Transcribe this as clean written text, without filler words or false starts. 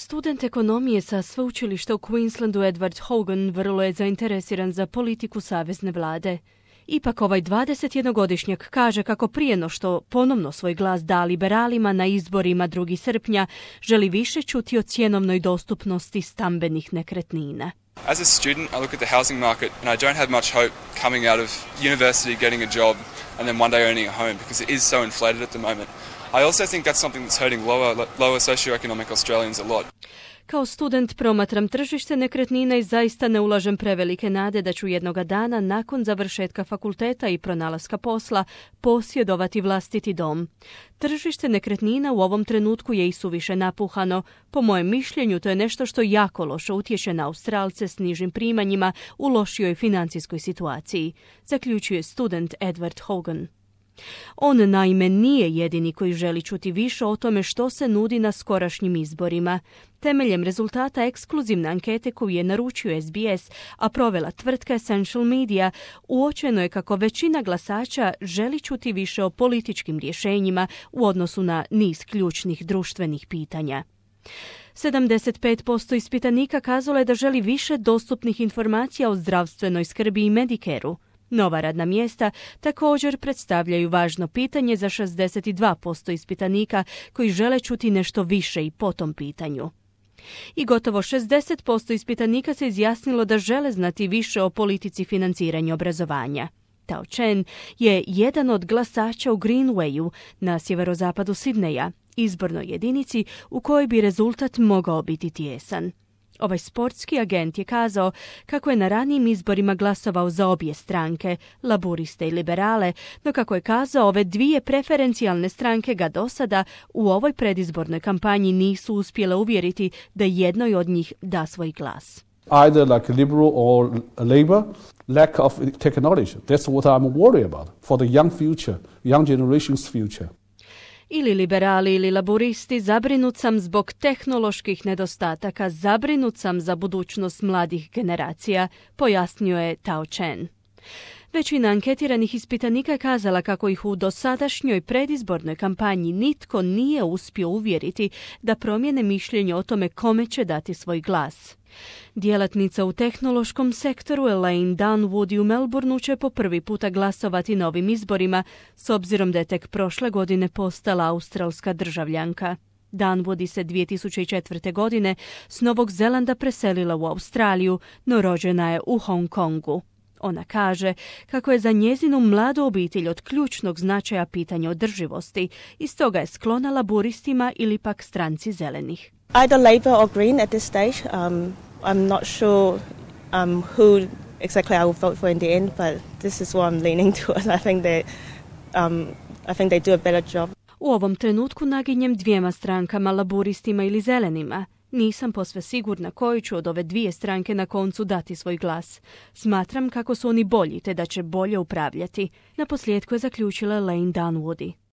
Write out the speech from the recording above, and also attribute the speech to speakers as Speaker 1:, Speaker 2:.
Speaker 1: Student ekonomije sa sveučilišta u Queenslandu Edward Hogan vrlo je zainteresiran za politiku savezne vlade. Ipak ovaj 21-godišnjak kaže kako prije no što ponovno svoj glas da liberalima na izborima 2. srpnja, želi više čuti o cjenovnoj dostupnosti stambenih nekretnina.
Speaker 2: As a student, I look at the housing market and I don't have much hope coming out of university, getting a job and then one day owning a home because it is so inflated at the moment. I also think that's something that's hurting lower socioeconomic Australians a lot.
Speaker 1: Kao student promatram tržište nekretnina i zaista ne ulažem prevelike nade da ću jednoga dana nakon završetka fakulteta i pronalaska posla posjedovati vlastiti dom. Tržište nekretnina u ovom trenutku je i suviše napuhano. Po mojem mišljenju to je nešto što jako loše utječe na Australce s nižim primanjima u lošijoj financijskoj situaciji, zaključuje student Edward Hogan. On naime nije jedini koji želi čuti više o tome što se nudi na skorašnjim izborima. Temeljem rezultata ekskluzivne ankete koju je naručio SBS, a provela tvrtka Essential Media, uočeno je kako većina glasača želi čuti više o političkim rješenjima u odnosu na niz ključnih društvenih pitanja. 75% ispitanika kazalo je da želi više dostupnih informacija o zdravstvenoj skrbi i Medicare-u. Nova radna mjesta također predstavljaju važno pitanje za 62% ispitanika koji žele čuti nešto više i po tom pitanju. I gotovo 60% ispitanika se izjasnilo da žele znati više o politici financiranja obrazovanja. Tao Chen je jedan od glasača u Greenwayu na sjeverozapadu Sidneja, izbornoj jedinici u kojoj bi rezultat mogao biti tijesan. Ovaj sportski agent je kazao kako je na ranijim izborima glasovao za obje stranke, laburiste i liberale, no kako je kazao ove dvije preferencijalne stranke ga do sada u ovoj predizbornoj kampanji nisu uspjele uvjeriti da jednoj od njih da svoj glas.
Speaker 3: Either like Liberal or Labour, lack of technology. That's what I'm worried about for the young future, young generation's future.
Speaker 1: Ili liberali ili laburisti, zabrinut sam zbog tehnoloških nedostataka, zabrinut sam za budućnost mladih generacija, pojasnio je Tao Chen. Većina anketiranih ispitanika je kazala kako ih u dosadašnjoj predizbornoj kampanji nitko nije uspio uvjeriti da promijene mišljenje o tome kome će dati svoj glas. Djelatnica u tehnološkom sektoru Elaine Dunwoody u Melbourneu će po prvi puta glasovati na ovim izborima, s obzirom da je tek prošle godine postala australska državljanka. Dunwoody se 2004. godine s Novog Zelanda preselila u Australiju, no rođena je u Hong Kongu. Ona kaže kako je za njezinu mladu obitelj od ključnog značaja pitanje održivosti i stoga je sklona laburistima ili pak stranci zelenih.
Speaker 4: Either Labour or Green at this stage. I'm not sure who exactly I will vote for in the end, but this is what I'm leaning towards. I think they do a better job.
Speaker 1: U ovom trenutku naginjem dvijema strankama, laburistima ili zelenima. Nisam posve sigurna koju ću od ove dvije stranke na koncu dati svoj glas. Smatram kako su oni bolji te da će bolje upravljati. Naposljetku je zaključila Elaine Dunwoody.